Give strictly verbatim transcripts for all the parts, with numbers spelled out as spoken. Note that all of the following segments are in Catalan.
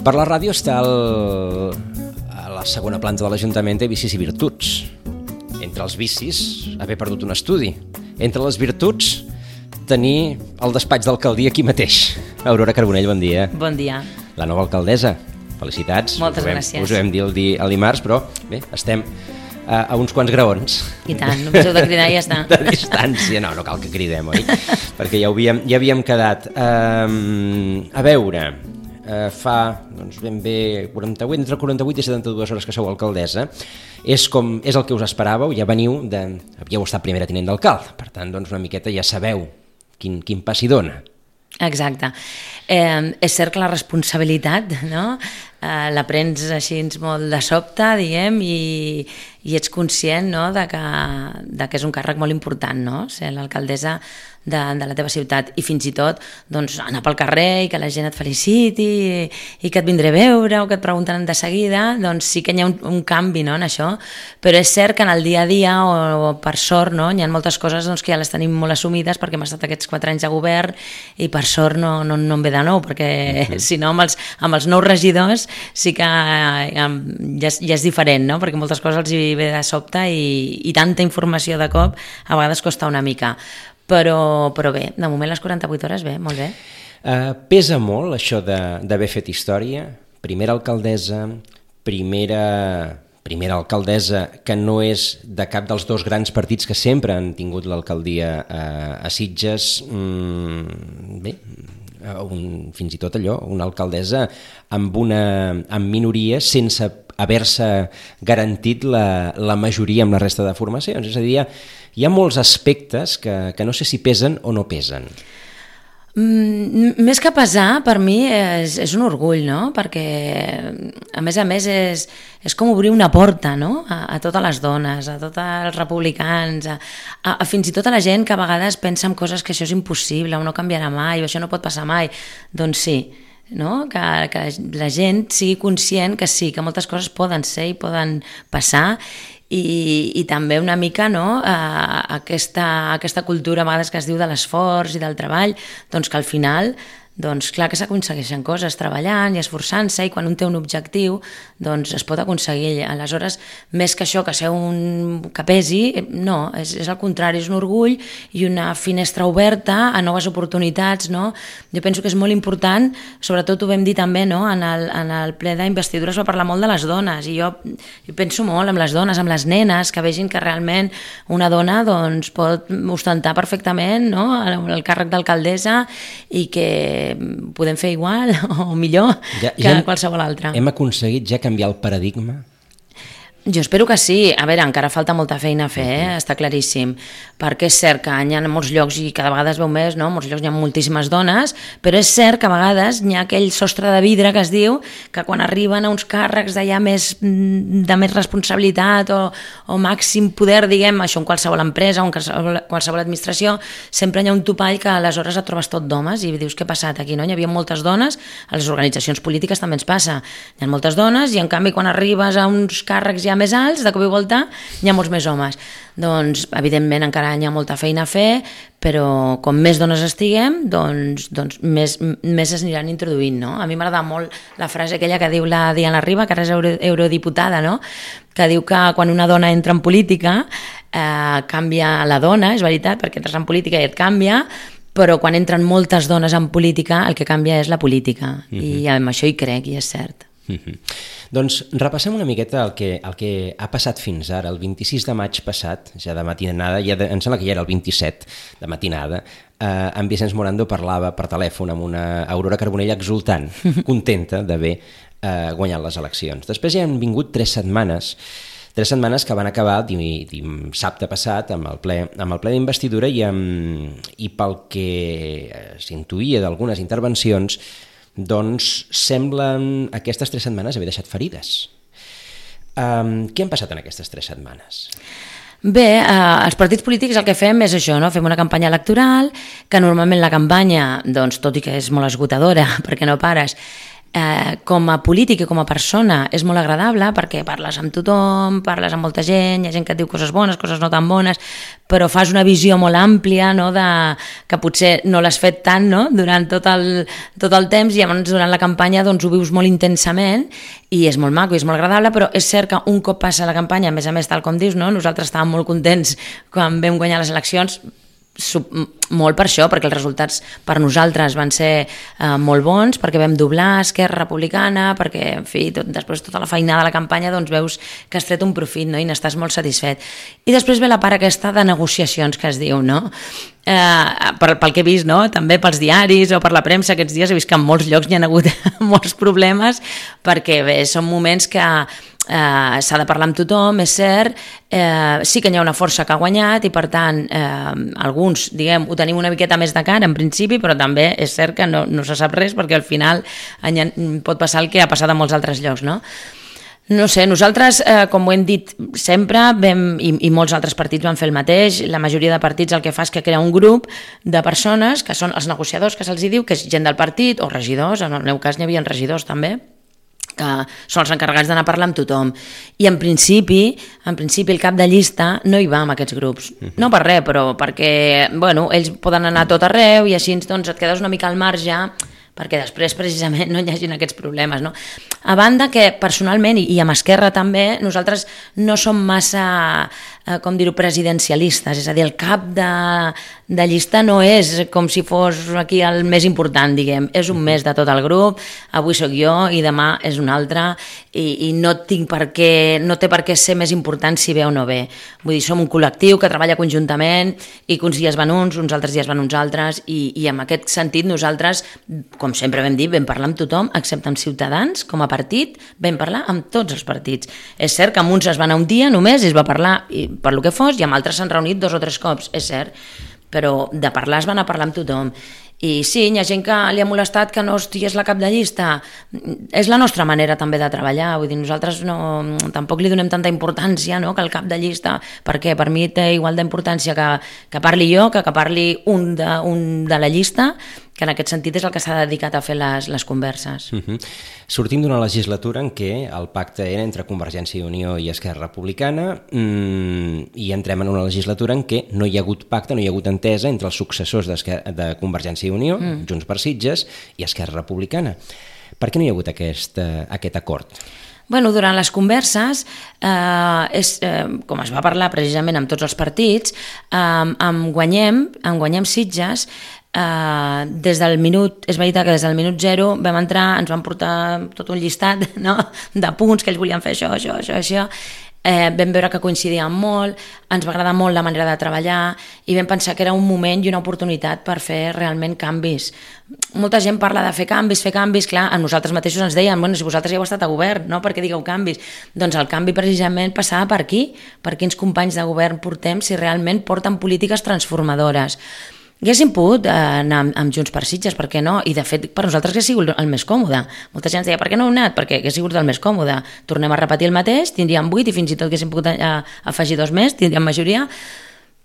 Per la ràdio està el, a la segona planta de l'Ajuntament de Vicis i Virtuts. Entre els vicis, haver perdut un estudi. Entre les virtuts, tenir el despatx d'alcaldia aquí mateix. Aurora Carbonell, bon dia. Bon dia. La nova alcaldessa. Felicitats. Moltes us vam, gràcies. Us ho vam dir el, di, el dimarts, però bé, estem a, a uns quants graons. I tant, només heu de cridar i ja està. De distància, no, no cal que cridem, oi? Perquè ja, havíem, ja havíem quedat. Um, a veure... Uh, fa doncs, ben bé quaranta-vuit, entre quaranta-vuit i setanta-dues hores que sou alcaldessa. És, com, és el que us esperàveu, ja veniu, de, havíeu estat primera tinent d'alcalde, per tant doncs, una miqueta ja sabeu quin, quin pas hi dona. Exacte. Eh, és cert que la responsabilitat, no? eh, la prens així molt de sobte, diguem, i, i ets conscient, no? de, que, de que és un càrrec molt important, no? Ser l'alcaldessa de, de la teva ciutat, i fins i tot doncs, anar pel carrer i que la gent et feliciti i, i que et vindré a veure o que et pregunten de seguida, doncs sí que hi ha un, un canvi, no? En això, però és cert que en el dia a dia o, o per sort, no? Hi ha moltes coses doncs, que ja les tenim molt assumides perquè hem estat aquests quatre anys de govern i per sort no, no, no em ve de nou, perquè uh-huh. si no amb els, amb els nous regidors sí que eh, ja, és, ja és diferent, no? Perquè moltes coses els hi ve de sobte i, i tanta informació de cop a vegades costa una mica. Però, però bé, de moment les quaranta-vuit hores bé, molt bé. Uh, pesa molt això d'haver fet història? Primera alcaldessa, primera, primera alcaldessa que no és de cap dels dos grans partits que sempre han tingut l'alcaldia uh, a Sitges. Mm, bé, un, fins i tot allò, una alcaldessa amb una amb minoria sense haver-se garantit la, la majoria amb la resta de formacions. És a dir, hi ha, hi ha molts aspectes que, que no sé si pesen o no pesen. Mm, més que pesar, per mi és, és un orgull, no? Perquè a més a més és, és com obrir una porta, no? a, a totes les dones, a tots els republicans, a, a, a fins i tot a la gent que a vegades pensa en coses que això és impossible, o no canviarà mai, o això no pot passar mai. Doncs sí, no? que, que la gent sigui conscient que sí, que moltes coses poden ser i poden passar, i, i també una mica, no? eh, aquesta, aquesta cultura a vegades que es diu de l'esforç i del treball, doncs que al final doncs clar que s'aconsegueixen coses treballant i esforçant-se, i quan un té un objectiu doncs es pot aconseguir. Aleshores, més que això, que ser un que pesi, no, és, és el contrari, és un orgull i una finestra oberta a noves oportunitats, no? Jo penso que és molt important, sobretot ho vam dir també, no? en, el, en el ple d'investidura es va parlar molt de les dones, i jo, jo penso molt amb les dones, amb les nenes, que vegin que realment una dona doncs, pot ostentar perfectament, no? el, el càrrec d'alcaldessa, i que podem fer igual o millor ja, que ja hem, qualsevol altre. Hem aconseguit ja canviar el paradigma? Jo espero que sí. A veure, encara falta molta feina a fer, eh? Està claríssim, perquè és cert que hi ha molts llocs, i cada vegada es veu més, no? Molts llocs hi ha moltíssimes dones, però és cert que a vegades hi ha aquell sostre de vidre que es diu que quan arriben a uns càrrecs d'allà més, de més responsabilitat o, o màxim poder, diguem, això en qualsevol empresa o en qualsevol, qualsevol administració, sempre hi ha un topall que aleshores et trobes tot d'homes i dius, què ha passat aquí? No? Hi havia moltes dones, a les organitzacions polítiques també ens passa, hi ha moltes dones, i en canvi quan arribes a uns càrrecs ja més alts, de cop i volta hi ha molts més homes. Doncs evidentment encara hi ha molta feina a fer, però com més dones estiguem, doncs, doncs més, més es aniran introduint, no? A mi m'agrada molt la frase aquella que diu la Diana Riba, que ara és euro, eurodiputada, no? Que diu que quan una dona entra en política eh, canvia la dona, és veritat, perquè entres en política i et canvia, però quan entren moltes dones en política el que canvia és la política, uh-huh. i amb això hi crec, i és cert. Uh-huh. Doncs repassem una miqueta el que, el que ha passat fins ara. El vint-i-sis de maig passat, ja de matinada, ja de, em sembla que ja era el vint-i-set de matinada, eh, en Vicenç Morando parlava per telèfon amb una Aurora Carbonell exultant, contenta d'haver eh, guanyat les eleccions. Després ja han vingut tres setmanes, tres setmanes que van acabar dissabte passat amb el ple, amb el ple d'investidura, i, amb, i pel que s'intuïa d'algunes intervencions, doncs semblen aquestes tres setmanes haver deixat ferides. Um, què han passat en aquestes tres setmanes? Bé, eh, els partits polítics el que fem és això, no? Fem una campanya electoral, que normalment la campanya, doncs, tot i que és molt esgotadora, perquè no pares, eh, com a polític i com a persona és molt agradable perquè parles amb tothom, parles amb molta gent, hi ha gent que et diu coses bones, coses no tan bones, però fas una visió molt àmplia, no? De, que potser no l'has fet tant, no? Durant tot el, tot el temps, i llavors durant la campanya doncs, ho vius molt intensament i és molt maco i és molt agradable, però és cert que un cop passa la campanya, a més a més, tal com dius, no? Nosaltres estàvem molt contents quan vam guanyar les eleccions, molt per això, perquè els resultats per nosaltres van ser eh, molt bons, perquè vam doblar Esquerra Republicana, perquè, en fi, tot, després tota la feinada de la campanya, doncs veus que has tret un profit, no? I n'estàs molt satisfet. I després ve la part aquesta de negociacions que es diu, no? Eh, per, pel que he vist, no? També pels diaris o per la premsa aquests dies he vist que en molts llocs hi ha hagut molts problemes, perquè bé, són moments que Uh, s'ha de parlar amb tothom, és cert, uh, sí que hi ha una força que ha guanyat i per tant uh, alguns, diguem, ho tenim una miqueta més de cara en principi, però també és cert que no, no se sap res perquè al final pot passar el que ha passat a molts altres llocs, no? No sé, nosaltres, eh, com ho hem dit sempre, vam, i, i molts altres partits van fer el mateix, la majoria de partits el que fa és que crea un grup de persones que són els negociadors, que se'ls diu, que és gent del partit, o regidors, en el meu cas n'hi havia regidors també, que són els encarregats d'anar a parlar amb tothom. I en principi, en principi el cap de llista no hi va amb aquests grups. No per res, però perquè bueno, ells poden anar a tot arreu i així doncs, et quedes una mica al marge perquè després precisament no hi hagin aquests problemes, no? A banda que personalment, i amb Esquerra també, nosaltres no som massa, eh, com dir-ho, presidencialistes, és a dir, el cap de, de llista no és com si fos aquí el més important, diguem, és un més de tot el grup, avui sóc jo i demà és un altre, i, i no tinc per què, no té per què ser més important si ve o no ve. Vull dir, som un col·lectiu que treballa conjuntament i que uns dies van uns, uns altres dies van uns altres, i, i en aquest sentit nosaltres, com sempre vam dir, vam parlar amb tothom, excepte amb Ciutadans, com a partit, vam parlar amb tots els partits. És cert que amb uns es va anar un dia només i es va parlar i, per lo que fos, i amb altres s'han reunit dos o tres cops, és cert, però de parlar es van a parlar amb tothom. I sí, hi ha gent que li ha molestat que no estigués la cap de llista. És la nostra manera també de treballar, vull dir, nosaltres no, tampoc li donem tanta importància, no?, que el cap de llista, perquè per mi té igual d'importància que, que parli jo, que que parli un de, un de la llista, que en aquest sentit és el que s'ha dedicat a fer les, les converses. Uh-huh. Sortim d'una legislatura en què el pacte era entre Convergència i Unió i Esquerra Republicana mmm, i entrem en una legislatura en què no hi ha hagut pacte, no hi ha hagut entesa entre els successors de Convergència i Unió, mm. Junts per Sitges i Esquerra Republicana. Per què no hi ha hagut aquest, uh, aquest acord? Bueno, durant les converses, eh, és, eh, com es va parlar precisament amb tots els partits, eh, amb Guanyem, amb Guanyem Sitges, eh, des del minut, és veritat que des del minut zero vam entrar, ens van portar tot un llistat, no?, de punts que ells volien fer això, això, això, això, Eh, vam veure que coincidíem molt, ens va agradar molt la manera de treballar i vam pensar que era un moment i una oportunitat per fer realment canvis. Molta gent parla de fer canvis, fer canvis, clar, a nosaltres mateixos ens deien, bueno, si vosaltres ja heu estat a govern, no?, perquè digueu canvis. Doncs el canvi precisament passava per aquí, per quins companys de govern portem, si realment porten polítiques transformadores. Haguéssim pogut anar amb Junts per Sitges, per què no? I de fet per nosaltres hauria sigut el més còmode. Molta gent ens deia, per què no heu anat? Perquè hauria sigut el més còmode. Tornem a repetir el mateix, tindríem vuit i fins i tot haguéssim pogut afegir dos més, tindríem majoria,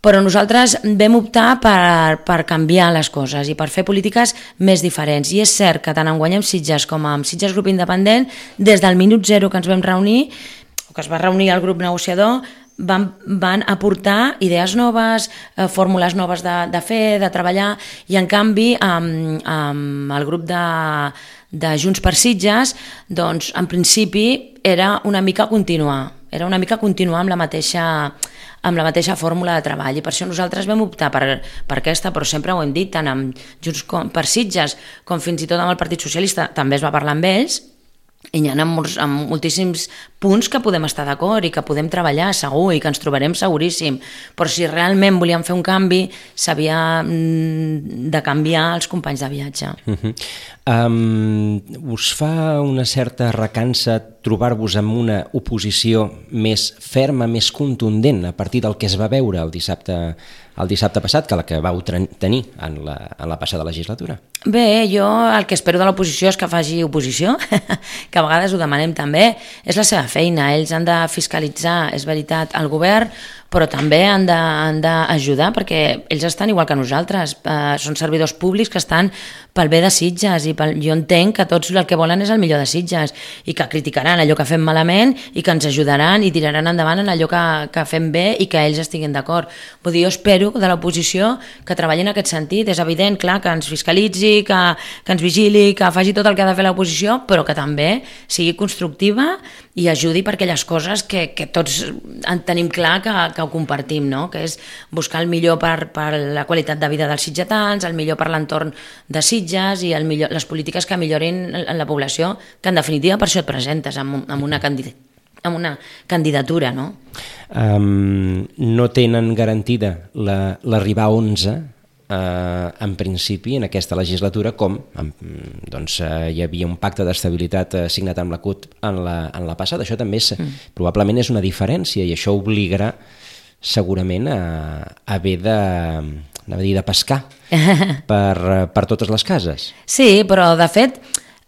però nosaltres vam optar per, per canviar les coses i per fer polítiques més diferents. I és cert que tant en Guanyem Sitges com en Sitges Grup Independent, des del minut zero que ens vam reunir, o que es va reunir el grup negociador, Van, van aportar idees noves, eh, fórmules noves de, de fer, de treballar, i en canvi amb, amb el grup de, de Junts per Sitges, doncs en principi era una mica continuar, era una mica continuar amb la mateixa, amb la mateixa fórmula de treball, i per això nosaltres vam optar per, per aquesta, però sempre ho hem dit, tant amb Junts per Sitges com fins i tot amb el Partit Socialista, també es va parlar amb ells, i hi ha molts, amb moltíssims punts que podem estar d'acord i que podem treballar segur i que ens trobarem seguríssim, però si realment volíem fer un canvi s'havia de canviar els companys de viatge. Uh-huh. Um, us fa una certa recança trobar-vos amb una oposició més ferma, més contundent a partir del que es va veure el dissabte, el dissabte passat, que la que vau tenir en la, en la passada legislatura? Bé, jo el que espero de l'oposició és que faci oposició, que a vegades ho demanem també, és la seva feina, ells han de fiscalitzar, és veritat, el govern però també han de, han d'ajudar perquè ells estan igual que nosaltres, eh, són servidors públics que estan pel bé de Sitges i pel, jo entenc que tots el que volen és el millor de Sitges i que criticaran allò que fem malament i que ens ajudaran i tiraran endavant en allò que, que fem bé i que ells estiguin d'acord. Vull dir, jo espero de l'oposició que treballi en aquest sentit. És evident, clar, que ens fiscalitzi, que, que ens vigili, que faci tot el que ha de fer l'oposició, però que també sigui constructiva i ajudi per aquelles coses que, que tots en tenim clar que, que ho compartim, no? Que és buscar el millor per, per la qualitat de vida dels sitgetans, el millor per l'entorn de Sitges i el millor, les polítiques que millorin en la població, que en definitiva per això et presentes amb, amb, una, candid amb una candidatura, no? Um, no tenen garantida l'arribar la, a onze, Uh, en principi en aquesta legislatura com doncs, uh, hi havia un pacte d'estabilitat uh, signat amb la C U T en la, en la passada. Això també és, mm. probablement és una diferència i això obligarà segurament a, a haver de, a dir, de pescar per, per totes les cases. Sí, però de fet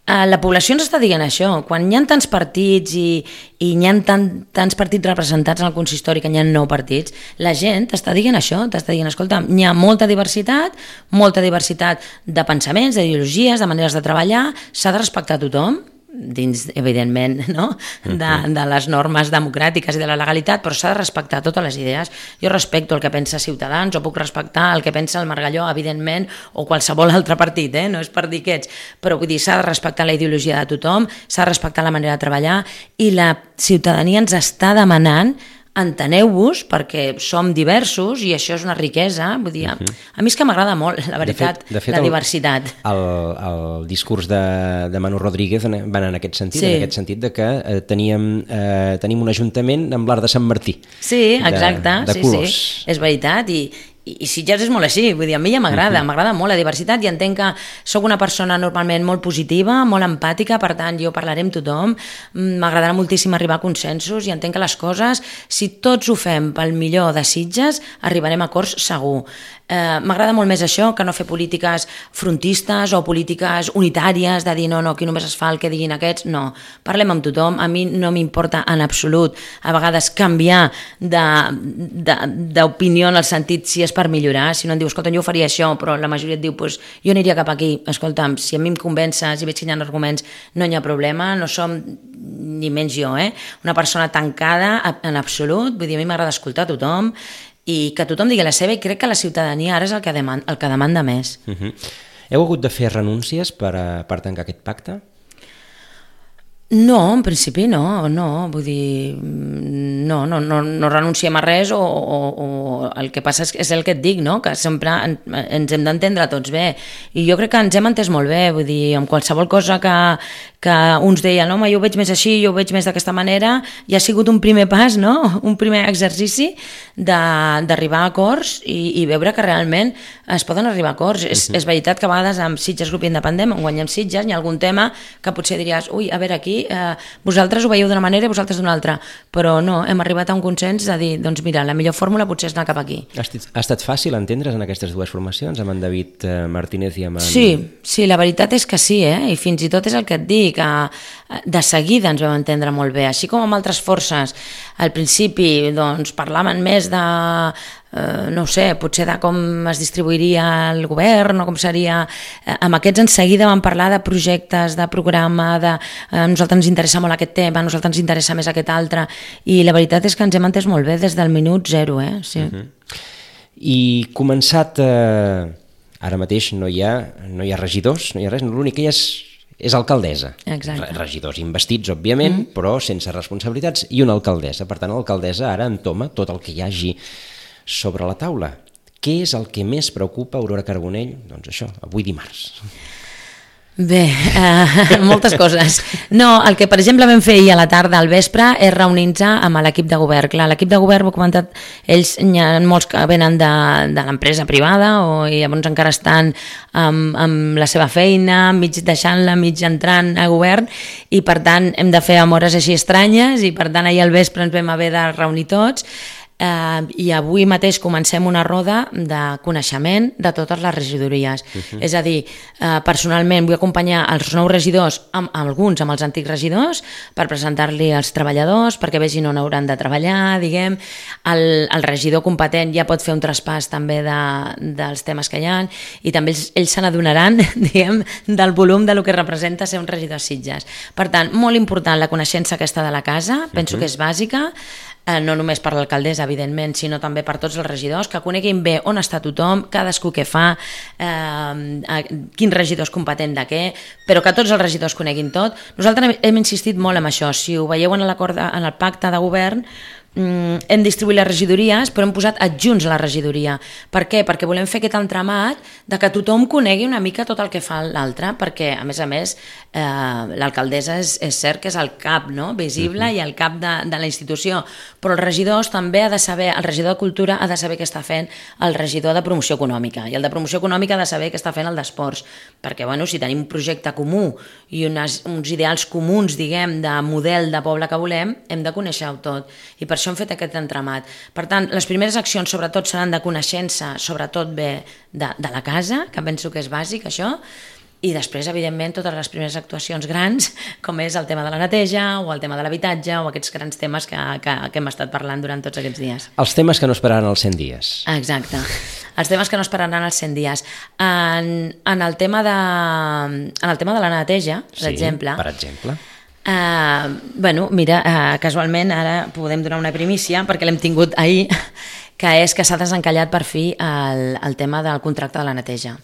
la població ens està dient això. Quan hi ha tants partits i, i hi ha tant, tants partits representats en el consistori, que hi ha nou partits, la gent t'està dient això, t'està dient, escolta, hi ha molta diversitat, molta diversitat de pensaments, d'ideologies, de maneres de treballar, s'ha de respectar a tothom, dins, evidentment, no? de, de les normes democràtiques i de la legalitat, però s'ha de respectar totes les idees. Jo respecto el que pensa Ciutadans, o puc respectar el que pensa el Margalló, evidentment, o qualsevol altre partit, eh? No és per dir aquests, però vull dir, s'ha de respectar la ideologia de tothom, s'ha de respectar la manera de treballar, i la ciutadania ens està demanant enteneu-vos perquè som diversos i això és una riquesa. Vull dir, uh-huh. a mi és que m'agrada molt, la veritat, de fet, de fet, la el, diversitat. El, el discurs de, de Manu Rodríguez van en aquest sentit, sí. en aquest sentit de que eh, teníem, eh, tenim un ajuntament amb l'art de Sant Martí. Sí, exacte, de, de sí, colors. sí, és veritat, i i Sitges és molt així, vull dir, a mi ja m'agrada, m'agrada molt la diversitat i entenc que sóc una persona normalment molt positiva, molt empàtica, per tant jo parlaré amb tothom, m'agradarà moltíssim arribar a consensos i entenc que les coses, si tots ho fem pel millor de Sitges, arribarem a acords segur. Eh, m'agrada molt més això que no fer polítiques frontistes o polítiques unitàries de dir no, no, aquí només es fa el que diguin aquests, no, parlem amb tothom, a mi no m'importa en absolut a vegades canviar d'opinió en el sentit si és per millorar, si no em diu, escolta, jo ho faria això, però la majoria et diu, pues, jo aniria cap aquí, escolta'm, si a mi em convences i veig que hi ha arguments, no hi ha problema, no som ni menys jo, eh? Una persona tancada en absolut, vull dir, a mi m'agrada escoltar a tothom i que tothom digui la seva, i crec que la ciutadania ara és el que demanda, el que demanda més. Uh-huh. Heu hagut de fer renúncies per, a, per tancar aquest pacte? No, en principi no, no, vull dir, no, no, no, no renunciem a res o, o, o el que passa és, és el que et dic, no? Que sempre en, ens hem d'entendre tots bé i jo crec que ens hem entès molt bé, vull dir, amb qualsevol cosa que, que uns deien, home, jo ho veig més així, jo ho veig més d'aquesta manera, i ha sigut un primer pas, no? Un primer exercici d'arribar a acords i, i veure que realment es poden arribar a acords. Uh-huh. És, és veritat que a vegades amb Sitges Grup Independent, on guanyem Sitges, hi ha algun tema que potser diries, ui, a veure, aquí Eh, vosaltres ho veieu d'una manera i vosaltres d'una altra, però no, hem arribat a un consens de dir, doncs mira, la millor fórmula potser és anar cap aquí. Ha estat, ha estat fàcil entendre's en aquestes dues formacions, amb en David eh, Martínez i amb en... Sí, sí, la veritat és que sí, eh? I fins i tot és el que et dic, que de seguida ens vam entendre molt bé, així com amb altres forces. Al principi, doncs, parlaven més de... Uh, no ho sé, potser de com es distribuiria el govern o com seria, uh, amb aquests en seguida vam parlar de projectes, de programa, de uh, a nosaltres ens interessa molt aquest tema, a nosaltres ens interessa més aquest altre, i la veritat és que ens hem entès molt bé des del minut zero, eh? Sí. Uh-huh. I començat, eh, ara mateix no hi ha, no hi ha regidors, no hi ha res, l'únic que hi ha és és alcaldessa. Exacte. Regidors investits, òbviament, mm. però sense responsabilitats, i una alcaldessa. Per tant, l'alcaldessa ara entoma tot el que hi hagi sobre la taula. Què és el que més preocupa Aurora Carbonell? Doncs això, avui dimarts. Bé, uh, moltes coses. No, el que per exemple vam fer ahir a la tarda al vespre és reunir-nos amb l'equip de govern. Clar, l'equip de govern, ho he comentat, ells n'hi ha molts que venen de, de l'empresa privada o i llavors encara estan amb, amb la seva feina, mig deixant-la, mig entrant a govern, i per tant hem de fer amb hores així estranyes, i per tant ahir al vespre ens vam haver de reunir tots. eh, i avui mateix comencem una roda de coneixement de totes les regidories. Uh-huh. És a dir, eh, personalment vull acompanyar els nous regidors, amb, amb alguns amb els antics regidors, per presentar-li als treballadors, perquè vegin on hauran de treballar, diguem. El, el regidor competent ja pot fer un traspàs també de, dels temes que hi ha, i també ells, ells se n'adonaran, diguem, del volum de lo que representa ser un regidor a Sitges. Per tant, molt important la coneixença aquesta de la casa, penso uh-huh. que és bàsica, eh, no només per l'alcaldessa, evidentment, sinó també per tots els regidors, que coneguin bé on està tothom, cadascú què fa, eh, quin regidor és competent de què, però que tots els regidors coneguin tot. Nosaltres hem insistit molt en això. Si ho veieu en l'acord, en el pacte de govern, hem distribuït les regidories, però hem posat adjunts a la regidoria. Per què? Perquè volem fer aquest entramat de que tothom conegui una mica tot el que fa l'altre, perquè, a més a més, eh, l'alcaldessa és, és cert que és el cap, no?, visible, uh-huh. i el cap de, de la institució, però els regidors també ha de saber, el regidor de Cultura ha de saber què està fent el regidor de Promoció Econòmica, i el de Promoció Econòmica ha de saber què està fent el d'Esports, perquè, bueno, si tenim un projecte comú i unes, uns ideals comuns, diguem, de model de poble que volem, hem de conèixer-ho tot, i per això hem fet aquest entramat. Per tant, les primeres accions sobretot seran de coneixença, sobretot bé de, de la casa, que penso que és bàsic això, i després, evidentment, totes les primeres actuacions grans, com és el tema de la neteja o el tema de l'habitatge o aquests grans temes que, que, que hem estat parlant durant tots aquests dies. Els temes que no esperaran els cent dies. Exacte. Els temes que no esperaran els cent dies. En, en, el, tema de, en el tema de la neteja, per sí, exemple... per exemple... Uh, bueno, mira, uh, casualment ara podem donar una primícia perquè l'hem tingut ahir, que és que s'ha desencallat per fi el, el tema del contracte de la neteja.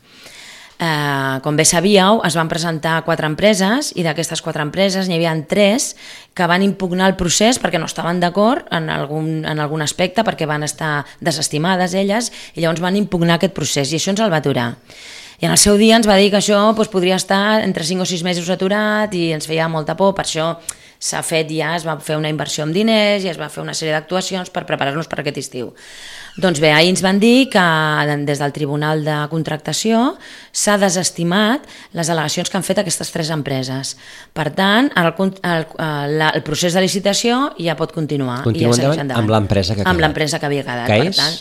Uh, com bé sabíeu, es van presentar quatre empreses i d'aquestes quatre empreses n'hi havia tres que van impugnar el procés perquè no estaven d'acord en, algun, en algun aspecte, perquè van estar desestimades elles, i llavors van impugnar aquest procés i això ens el va aturar. I en el seu dia ens va dir que això doncs, podria estar entre cinc o sis mesos aturat i ens feia molta por, per això s'ha fet ja, es va fer una inversió en diners i es va fer una sèrie d'actuacions per preparar-nos per aquest estiu. Doncs bé, ahir ens van dir que des del Tribunal de Contractació s'ha desestimat les al·legacions que han fet aquestes tres empreses. Per tant, el, el, el, el procés de licitació ja pot continuar. Continua i ja endavant, endavant amb l'empresa que ha quedat. Amb l'empresa que havia quedat. Que per és? tant,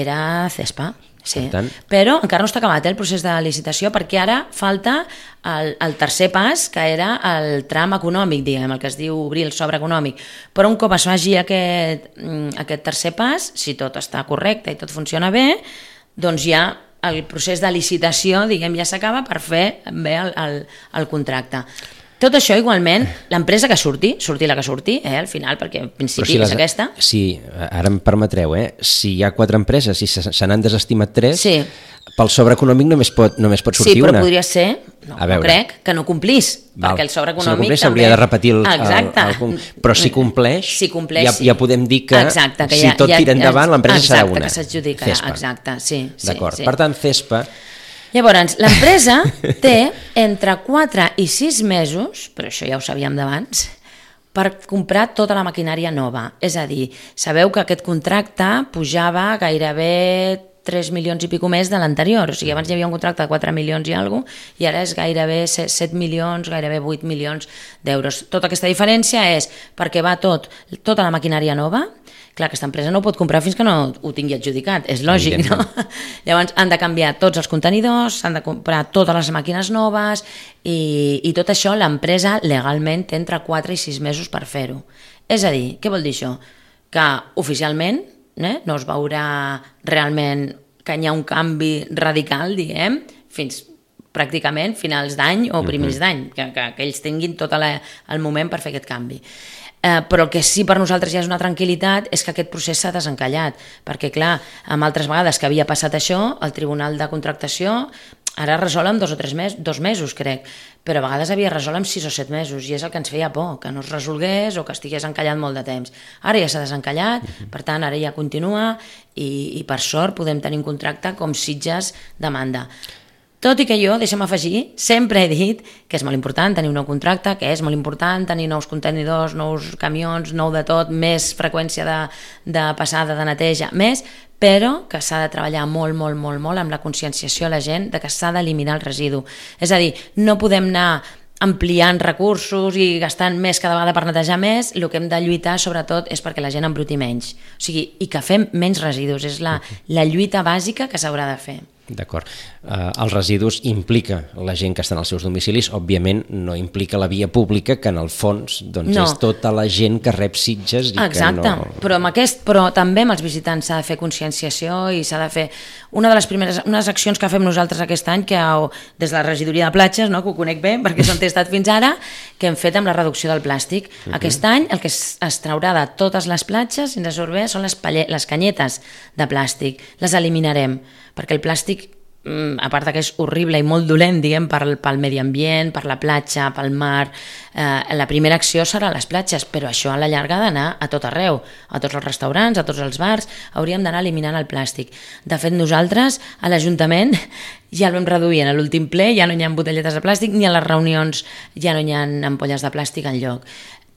era Cespa. Sí. Tant... Però encara no està acabat eh, el procés de licitació, perquè ara falta el, el tercer pas, que era el tram econòmic, diguem, el que es diu obrir el sobre econòmic. Però un cop es faci aquest, aquest tercer pas, si tot està correcte i tot funciona bé, doncs ja el procés de licitació, diguem, ja s'acaba per fer bé el, el, el contracte. Tot això, igualment, l'empresa que surti, surti la que surti, eh, al final, perquè en principi si les, és aquesta. Sí, ara em permetreu, eh? Si hi ha quatre empreses i se, se n'han desestimat tres, sí. Pel sobre econòmic només pot, només pot sortir una. Sí, però una. Podria ser, no, no crec, que no complís, Val. Perquè el sobre econòmic... Si no compleix, també... s'hauria de repetir el, exacte. el, el, el... Però si compleix, si compleix ja, ja podem dir que, exacte, que si ja, tot ja, tira endavant, l'empresa exacte, serà una. Exacte, que s'adjudicarà, Cespa. Exacte, sí. D'acord, sí, per tant, Cespa... Llavors, l'empresa té entre quatre i sis mesos, però això ja ho sabíem d'abans, per comprar tota la maquinària nova. És a dir, sabeu que aquest contracte pujava gairebé tres milions i pico més de l'anterior. O sigui, abans hi havia un contracte de quatre milions i alguna cosa, i ara és gairebé set milions, gairebé vuit milions d'euros. Tota aquesta diferència és perquè va tot, tota la maquinària nova. Clar, aquesta empresa no ho pot comprar fins que no ho tingui adjudicat, és lògic, no? Llavors han de canviar tots els contenidors, han de comprar totes les màquines noves i, i tot això l'empresa legalment té entre quatre i sis mesos per fer-ho. És a dir, què vol dir això? Que oficialment eh, no es veurà realment que hi ha un canvi radical, diguem, fins pràcticament finals d'any o primers d'any, que, que, que ells tinguin tot la, el moment per fer aquest canvi. Eh, però el que sí per nosaltres ja és una tranquil·litat és que aquest procés s'ha desencallat, perquè clar, amb altres vegades que havia passat això, el Tribunal de Contractació ara resol en dos o tres mesos, dos mesos crec, però a vegades havia resolt en sis o set mesos i és el que ens feia por, que no es resolgués o que estigués encallat molt de temps. Ara ja s'ha desencallat, per tant ara ja continua i, i per sort podem tenir un contracte com Sitges demanda. Tot i que jo, deixa'm afegir, sempre he dit que és molt important tenir un nou contracte, que és molt important tenir nous contenidors, nous camions, nou de tot, més freqüència de, de passada, de neteja, més, però que s'ha de treballar molt, molt, molt, molt amb la conscienciació a la gent de que s'ha d'eliminar el residu. És a dir, no podem anar ampliant recursos i gastant més cada vegada per netejar més, el que hem de lluitar sobretot és perquè la gent embruti menys, o sigui, i que fem menys residus, és la, la lluita bàsica que s'haurà de fer. D'acord. Uh, els residus implica la gent que està en els seus domicilis, òbviament no implica la via pública, que en el fons doncs, no. és tota la gent que rep Sitges i Exacte. que no... Però, amb aquest, però també amb els visitants s'ha de fer conscienciació i s'ha de fer... Una de les primeres unes accions que fem nosaltres aquest any, que des de la regidoria de platges, no, que ho conec bé, perquè s'han testat fins ara, que hem fet amb la reducció del plàstic. Uh-huh. Aquest any el que es, es traurà de totes les platges, si ens surt bé, són les, palle, les canyetes de plàstic. Les eliminarem, perquè el plàstic, a part que és horrible i molt dolent, diguem, pel, pel medi ambient, per la platja, pel mar, eh, la primera acció serà a les platges, però això a la llarga ha d'anar a tot arreu, a tots els restaurants, a tots els bars, hauríem d'anar eliminant el plàstic. De fet, nosaltres, a l'Ajuntament, ja el vam reduir en l'últim ple, ja no hi ha botelletes de plàstic, ni a les reunions ja no hi ha ampolles de plàstic enlloc.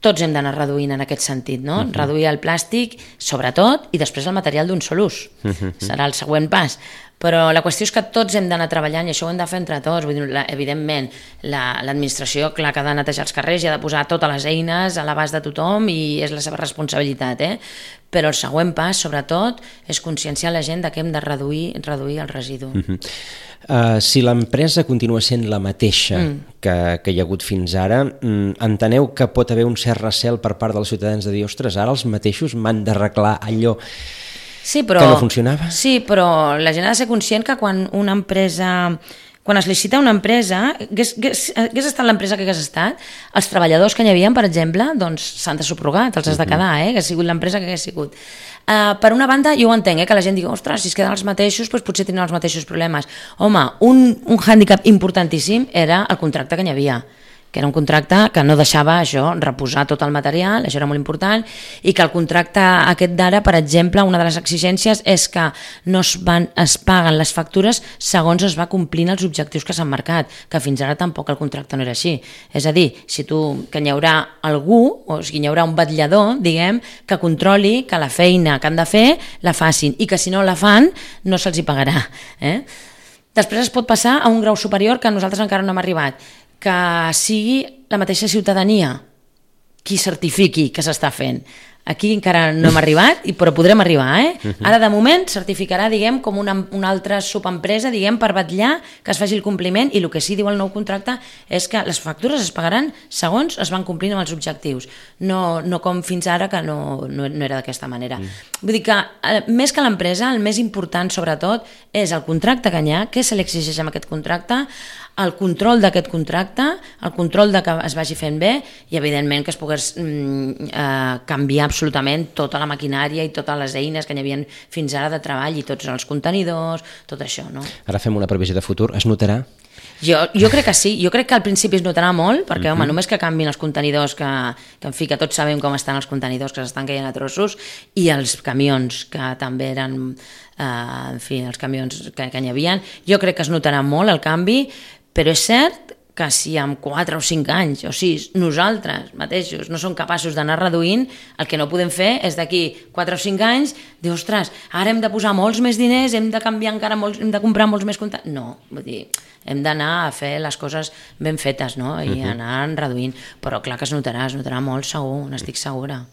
Tots hem d'anar reduint en aquest sentit, no? Uh-huh. Reduir el plàstic, sobretot, i després el material d'un sol ús. Uh-huh. Serà el següent pas. Però la qüestió és que tots hem d'anar treballant i això ho hem de fer entre tots. Vull dir, la, evidentment, la, l'administració, clar, que ha de netejar els carrers i ha de posar totes les eines a l'abast de tothom i és la seva responsabilitat, eh? Però el següent pas, sobretot, és conscienciar la gent de que hem de reduir, reduir el residu. Uh-huh. Uh, si l'empresa continua sent la mateixa mm. que, que hi ha hagut fins ara, mm, enteneu que pot haver un cert recel per part dels ciutadans de dir, ostres, ara els mateixos m'han d'arreglar allò sí, però, que no funcionava? Sí, però la gent ha de ser conscient que quan una empresa... Quan es licita una empresa, hagués, hagués, hagués estat l'empresa que hagués estat, els treballadors que hi havia, per exemple, doncs s'han de subrogar, els has de quedar, eh? Que ha sigut l'empresa que hagués sigut. Uh, per una banda, jo ho entenc, eh? Que la gent digui, ostres, si es queden els mateixos, doncs potser tindran els mateixos problemes. Home, un, un hàndicap importantíssim era el contracte que hi havia, que era un contracte que no deixava això, reposar tot el material, això era molt important, i que el contracte aquest d'ara, per exemple, una de les exigències és que no es, van, es paguen les factures segons es va complint els objectius que s'han marcat, que fins ara tampoc el contracte no era així. És a dir, si tu, que hi haurà algú, o sigui, hi haurà un vetllador, diguem, que controli que la feina que han de fer la facin, i que si no la fan no se'ls hi pagarà. Eh? Després es pot passar a un grau superior que nosaltres encara no hem arribat, que sigui la mateixa ciutadania qui certifiqui que s'està fent. Aquí encara no hem arribat, però podrem arribar, eh? Ara, de moment, certificarà, diguem, com una, una altra subempresa, diguem, per vetllar que es faci el compliment, i el que sí diu el nou contracte és que les factures es pagaran segons es van complint amb els objectius, no, no com fins ara, que no, no, no era d'aquesta manera. Mm. Vull dir que, eh, més que l'empresa, el més important, sobretot, és el contracte que hi ha, què se li exigeix amb aquest contracte, el control d'aquest contracte, el control de que es vagi fent bé i, evidentment, que es pogués mm, eh, canviar absolutament tota la maquinària i totes les eines que hi havia fins ara de treball i tots els contenidors, tot això, no? Ara fem una previsió de futur. Es notarà? Jo, jo crec que sí, jo crec que al principi es notarà molt, perquè, uh-huh. home, només que canvin els contenidors, que, que en fi, que tots sabem com estan els contenidors, que s'estan caient a trossos, i els camions, que també eren, eh, en fi, els camions que, que hi havia, jo crec que es notarà molt el canvi, però és cert que si en quatre o cinc anys o sis nosaltres mateixos no som capaços d'anar reduint, el que no podem fer és d'aquí quatre o cinc anys dir, ostres, ara hem de posar molts més diners, hem de canviar encara molts, hem de comprar molts més comptes. No, vull dir, hem d'anar a fer les coses ben fetes, no? I uh-huh. anar reduint, però clar que es notarà, es notarà molt segur, n'estic segura.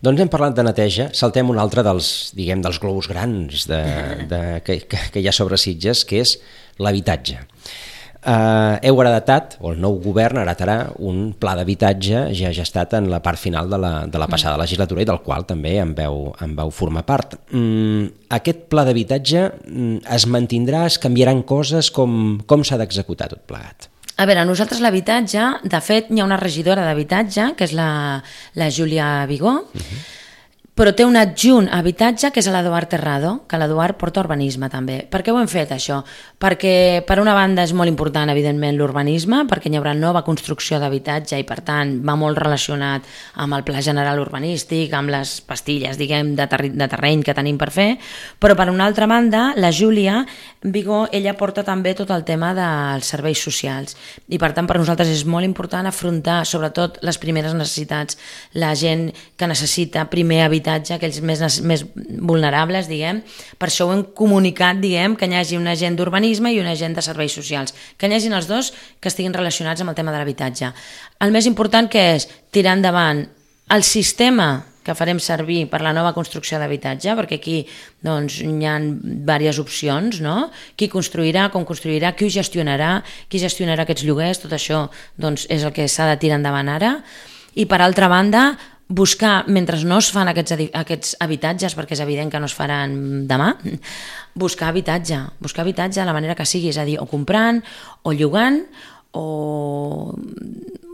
Doncs hem parlat de neteja, saltem un altre dels, diguem, dels globus grans de, de, que, que, que hi ha sobre Sitges, que és l'habitatge. Uh, heu heretat, o el nou govern heretarà un pla d'habitatge ja gestat en la part final de la, de la passada legislatura i del qual també en veu, en veu formar part. Mm, aquest pla d'habitatge mm, es mantindrà, es canviaran coses, com, com s'ha d'executar tot plegat? A veure, nosaltres l'habitatge, de fet hi ha una regidora d'habitatge, que és la, la Júlia Vigó, uh-huh. però té un adjunt a habitatge que és l'Eduard Terrado, que l'Eduard porta urbanisme també. Per què ho hem fet això? Perquè per una banda és molt important evidentment l'urbanisme, perquè hi haurà nova construcció d'habitatge i per tant va molt relacionat amb el pla general urbanístic, amb les pastilles, diguem, de, ter de terreny que tenim per fer, però per una altra banda la Júlia Vigó, ella porta també tot el tema dels serveis socials i per tant per nosaltres és molt important afrontar sobretot les primeres necessitats, la gent que necessita primer habitatge d'habitatge, aquells més, més vulnerables, diguem. Per això ho hem comunicat, diguem, que hi hagi un agent d'urbanisme i un agent de serveis socials, que hi hagin els dos que estiguin relacionats amb el tema de l'habitatge. El més important que és tirar endavant el sistema que farem servir per la nova construcció d'habitatge, perquè aquí doncs, hi ha diverses opcions, no? Qui construirà, com construirà, qui ho gestionarà, qui gestionarà aquests lloguers, tot això doncs, és el que s'ha de tirar endavant ara. I per altra banda, buscar, mentre no es fan aquests, aquests habitatges, perquè és evident que no es faran demà, buscar habitatge, buscar habitatge de la manera que sigui, és a dir, o comprant, o llogant, o,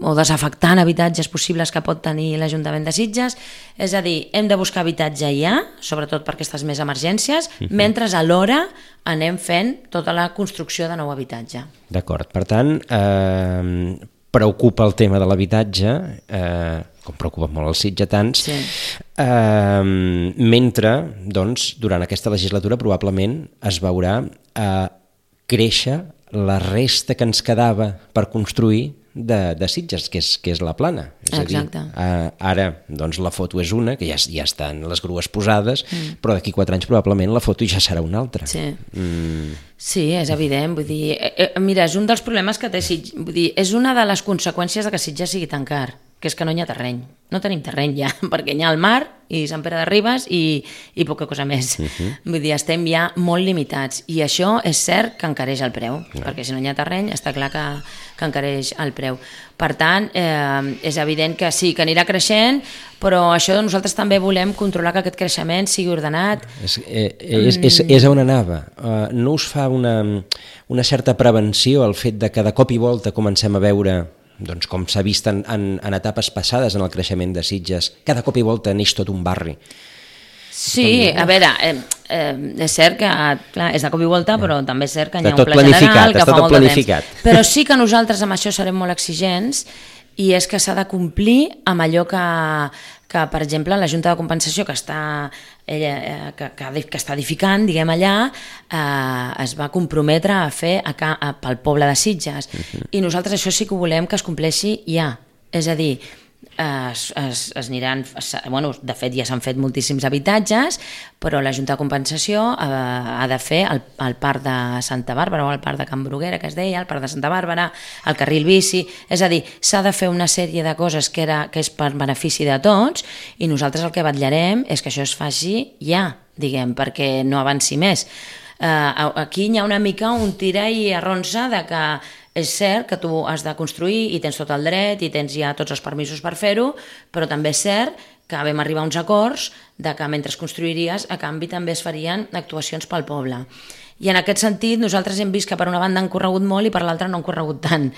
o desafectant habitatges possibles que pot tenir l'Ajuntament de Sitges. És a dir, hem de buscar habitatge ja, sobretot per aquestes més emergències, uh-huh. mentre alhora anem fent tota la construcció de nou habitatge. D'acord, per tant, eh, preocupa el tema de l'habitatge, eh, com preocupa molt els sitgetans, sí. eh, mentre, doncs, durant aquesta legislatura probablement es veurà eh, créixer la resta que ens quedava per construir de, de Sitges, que és, que és la plana. És Exacte. A dir, ara doncs, la foto és una, que ja, ja estan les grues posades, mm. però d'aquí quatre anys probablement la foto ja serà una altra. Sí. Mm. Sí, és evident. Vull dir, eh, mira, és un dels problemes que té Sitges. Vull dir, és una de les conseqüències de que Sitges sigui tan car, que és que no hi ha terreny. No tenim terreny ja, perquè hi ha el mar i Sant Pere de Ribes i, i poca cosa més. Uh-huh. Vull dir, estem ja molt limitats i això és cert que encareix el preu, uh-huh. perquè si no hi ha terreny està clar que, que encareix el preu. Per tant, eh, és evident que sí, que anirà creixent, però això nosaltres també volem controlar que aquest creixement sigui ordenat. És, eh, és, és, és on anava. Uh, no us fa una, una certa prevenció el fet de que de cop i volta comencem a veure, doncs com s'ha vist en, en, en etapes passades en el creixement de Sitges, cada cop i volta neix tot un barri? Sí, a veure, eh, eh, és cert que clar, és de cop i volta, però també és cert que hi ha un pla general que fa molt de temps. Però sí que nosaltres amb això serem molt exigents i és que s'ha de complir amb allò que, que per exemple, la Junta de Compensació que està, ella, que, que, que està edificant, diguem allà, eh, es va comprometre a fer a, a, pel poble de Sitges. Uh-huh. I nosaltres això sí que ho volem que es compleixi ja. És a dir, Es, es, es aniran, es, bueno, de fet ja s'han fet moltíssims habitatges, però la Junta de Compensació ha, ha de fer el, el parc de Santa Bàrbara o el parc de Can Bruguera, que es deia, el parc de Santa Bàrbara, el carril bici, és a dir, s'ha de fer una sèrie de coses que, era, que és per benefici de tots i nosaltres el que vetllarem és que això es faci ja, diguem, perquè no avanci més. Uh, aquí hi ha una mica un tira i arronsa de que és cert que tu has de construir i tens tot el dret i tens ja tots els permisos per fer-ho, però també és cert que vam arribar a uns acords de que mentre construiries, a canvi també es farien actuacions pel poble. I en aquest sentit nosaltres hem vist que per una banda han corregut molt i per l'altra no han corregut tant.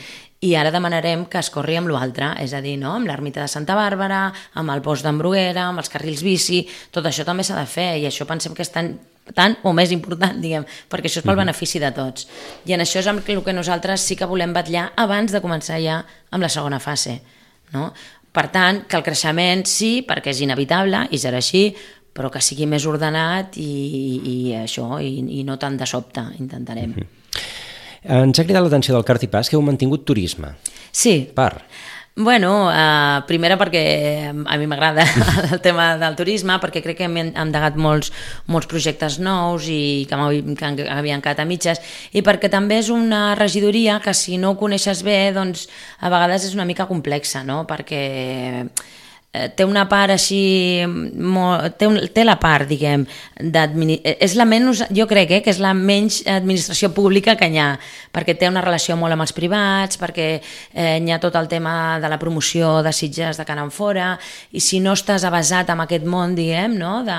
I ara demanarem que es corri amb l'altre, és a dir, no? Amb l'ermita de Santa Bàrbara, amb el bosc d'en Bruguera, amb els carrils bici, tot això també s'ha de fer i això pensem que és tan tant o més important, diguem, perquè això és pel benefici de tots. I en això és el que nosaltres sí que volem vetllar abans de començar ja amb la segona fase, no? Per tant, que el creixement sí, perquè és inevitable i serà així, però que sigui més ordenat i, i això, i, i no tant de sobte, intentarem. Mm-hmm. Ens ha cridat l'atenció del Cart i Pas que heu mantingut turisme. Sí. Per? Bueno, eh, primera perquè a mi m'agrada el tema del turisme, perquè crec que hem endegat molts, molts projectes nous i que, que havien quedat a mitges, i perquè també és una regidoria que si no ho coneixes bé, doncs a vegades és una mica complexa, no? Perquè té una part així, molt, té, un, té la part, diguem, és la menys, jo crec eh, que és la menys administració pública que hi ha, perquè té una relació molt amb els privats, perquè eh, hi ha tot el tema de la promoció de Sitges de cara en fora, i si no estàs avasat en aquest món, diguem, no, de,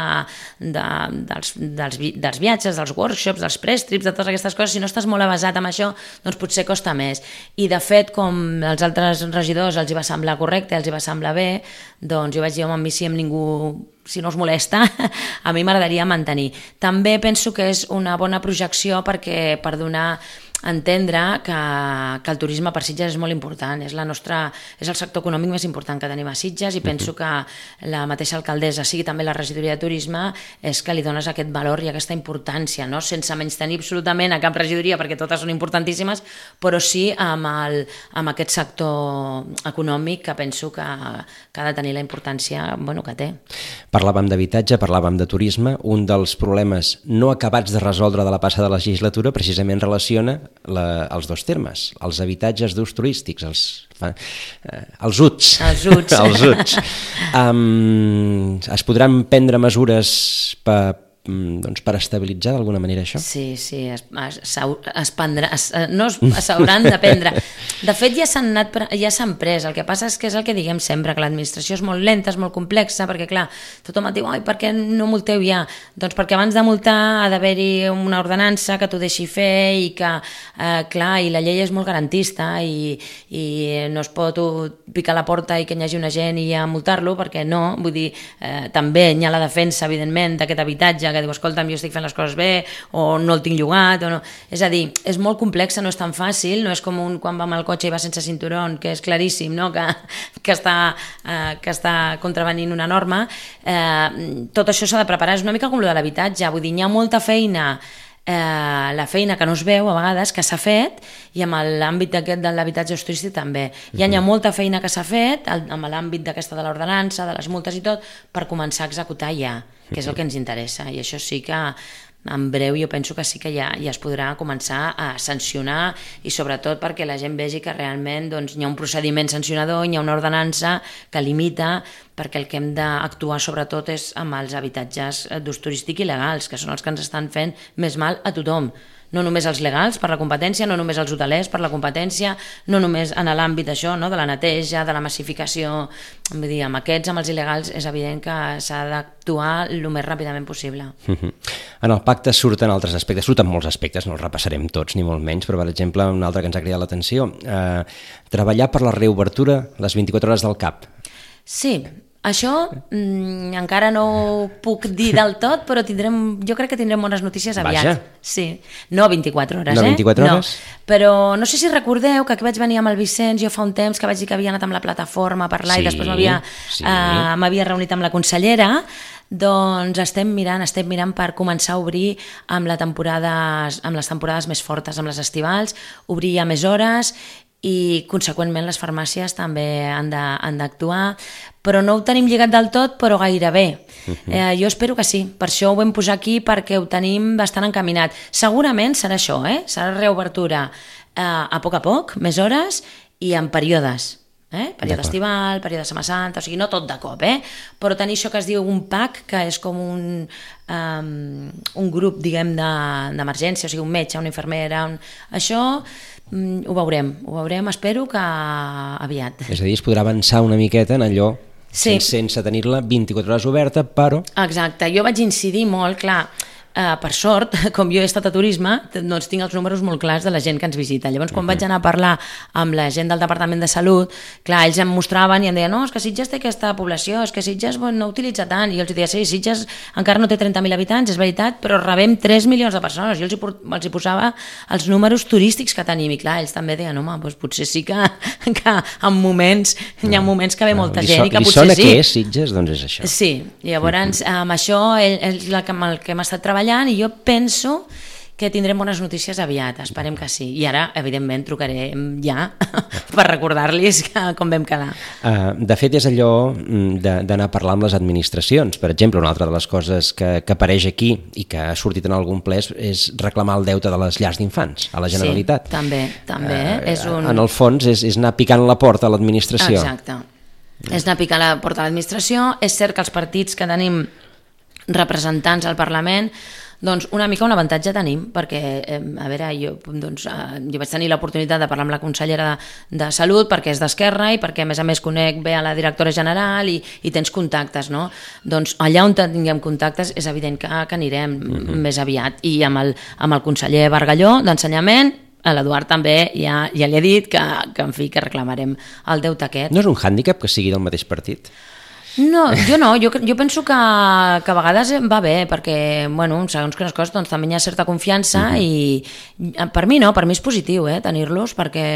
de, dels, dels, dels viatges, dels workshops, dels press-trips, de totes aquestes coses, si no estàs molt avasat en això, doncs potser costa més. I de fet, com els altres regidors els hi va semblar correcte, els hi va semblar bé, doncs jo vaig dir, home, a mi si amb ningú, si no us molesta, a mi m'agradaria mantenir. També penso que és una bona projecció perquè per donar entendre que, que el turisme per Sitges és molt important, és, la nostra, és el sector econòmic més important que tenim a Sitges, i penso que la mateixa alcaldessa, sigui també la regidoria de turisme, és que li dones aquest valor i aquesta importància, no? Sense menystenir absolutament a cap regidoria, perquè totes són importantíssimes, però sí amb, el, amb aquest sector econòmic que penso que, que ha de tenir la importància, bueno, que té. Parlàvem d'habitatge, parlàvem de turisme. Un dels problemes no acabats de resoldre de la passada legislatura precisament relaciona la, els dos termes, els habitatges d'ús turístics, els, eh, els U T S. Els U T S. els U T S. Um, es podran prendre mesures per, doncs, per estabilitzar d'alguna manera això? Sí, sí, es, es, es prendrà, es, no s'hauran de prendre. De fet, ja s'han anat, ja s'han pres. El que passa és que és el que diguem sempre, que l'administració és molt lenta, és molt complexa, perquè clar, tothom et diu, ai, per què no multeu ja? Doncs perquè abans de multar ha d'haver-hi una ordenança que t'ho deixi fer i que, eh, clar, i la llei és molt garantista i, i no es pot picar la porta i que hi hagi un agent i ja multar-lo, perquè no, vull dir, eh, també hi ha la defensa, evidentment, d'aquest habitatge, que diu, escolta'm, jo estic fent les coses bé, o no el tinc llogat, o no. És a dir, és molt complexa, no és tan fàcil, no és com un quan va amb el cotxe i va sense cinturón, que és claríssim, no? que, que, està, eh, que està contravenint una norma. Eh, tot això s'ha de preparar, és una mica com lo de l'habitatge, vull dir, hi ha molta feina, eh, la feina que no es veu a vegades, que s'ha fet, i amb l'àmbit d'aquest de l'habitatge turístic també. Hi ha, hi ha molta feina que s'ha fet, amb l'àmbit d'aquesta de l'ordenança, de les multes i tot, per començar a executar ja, que és el que ens interessa, i això sí que en breu jo penso que sí que ja, ja es podrà començar a sancionar, i sobretot perquè la gent vegi que realment doncs, hi ha un procediment sancionador, hi ha una ordenança que limita, perquè el que hem d'actuar sobretot és amb els habitatges d'ús turístic il·legals, que són els que ens estan fent més mal a tothom. No només els legals per la competència, no només els hotelers per la competència, no només en l'àmbit això, no? De la neteja, de la massificació. Vull dir, amb aquests, amb els il·legals, és evident que s'ha d'actuar el més ràpidament possible. Uh-huh. En el pacte surten altres aspectes, surten molts aspectes, no els repassarem tots ni molt menys, però per exemple un altre que ens ha cridat l'atenció, eh, treballar per la reobertura les vint-i-quatre hores del C A P. Sí, això mm, encara no ho puc dir del tot, però tindrem, jo crec que tindrem bones notícies aviat. Vaja. Sí. No vint-i-quatre hores, no vint-i-quatre eh? hores? No. Però no sé si recordeu que aquí vaig venir amb el Vicenç, jo fa un temps que vaig dir que havia anat amb la plataforma a parlar, sí, i després m'havia sí. eh, m'havia reunit amb la consellera. Doncs estem mirant, estem mirant per començar a obrir amb, la temporada, amb les temporades més fortes, amb les estivals, obrir ja més hores, i conseqüentment les farmàcies també han d'actuar, però no ho tenim lligat del tot, però gairebé. Uh-huh. Eh, jo espero que sí, per això ho vam posar aquí, perquè ho tenim bastant encaminat. Segurament serà això, eh? Serà reobertura eh, a poc a poc, més hores i en períodes. Eh? Període estival, període de Setmana Santa, o sigui, no tot de cop, eh? Però tenir això que es diu un P A C, que és com un, um, un grup, diguem, d'emergència, de, o sigui, un metge, una infermera, un... això um, ho veurem, ho veurem, espero que aviat. És a dir, es podrà avançar una miqueta en allò, sí. sense, sense tenir-la vint-i-quatre hores oberta, però... Exacte, jo vaig incidir molt, clar, Uh, per sort, com jo he estat a turisme, doncs tinc els números molt clars de la gent que ens visita. Llavors, quan uh-huh. vaig anar a parlar amb la gent del Departament de Salut, clar, ells em mostraven i em deien, no, és que Sitges té aquesta població, és que Sitges bueno, no utilitza tant, i jo els deia, sí, Sitges encara no té trenta mil habitants, és veritat, però rebem tres milions de persones. Jo els hi, els hi posava els números turístics que tenim, i clar, ells també deien, home, doncs potser sí que, que en moments, no. hi ha moments que ve no, molta gent, so, i que potser sí. Li sona què és Sitges? Doncs és això. Sí, llavors, uh-huh. amb això és el que hem estat treballant, i jo penso que tindrem bones notícies aviat, esperem que sí. I ara, evidentment, trucarem ja per recordar-los com vam quedar. Uh, de fet, és allò d'anar a parlar amb les administracions. Per exemple, una altra de les coses que, que apareix aquí i que ha sortit en algun ple és reclamar el deute de les llars d'infants a la Generalitat. Sí, també, també. Uh, és un... En el fons, és, és anar picant la porta a l'administració. Exacte. Mm. És anar picant la porta a l'administració. És cert que els partits que tenim representants al Parlament, doncs una mica un avantatge tenim, perquè, eh, a veure, jo, doncs, eh, jo vaig tenir l'oportunitat de parlar amb la consellera de, de Salut, perquè és d'Esquerra i perquè, a més a més, conec bé a la directora general i, i tens contactes, no? Doncs allà on tinguem contactes és evident que, que anirem mm-hmm. més aviat. I amb el, amb el conseller Bargalló, d'Ensenyament, a l'Eduard també ja, ja li he dit que, que, en fi, que reclamarem el deute aquest. No és un hàndicap que sigui del mateix partit? No, jo no, jo, jo penso que, que a vegades va bé, perquè, bueno, segons quines coses, doncs també hi ha certa confiança uh-huh. i per mi no, per mi és positiu, eh, tenir-los, perquè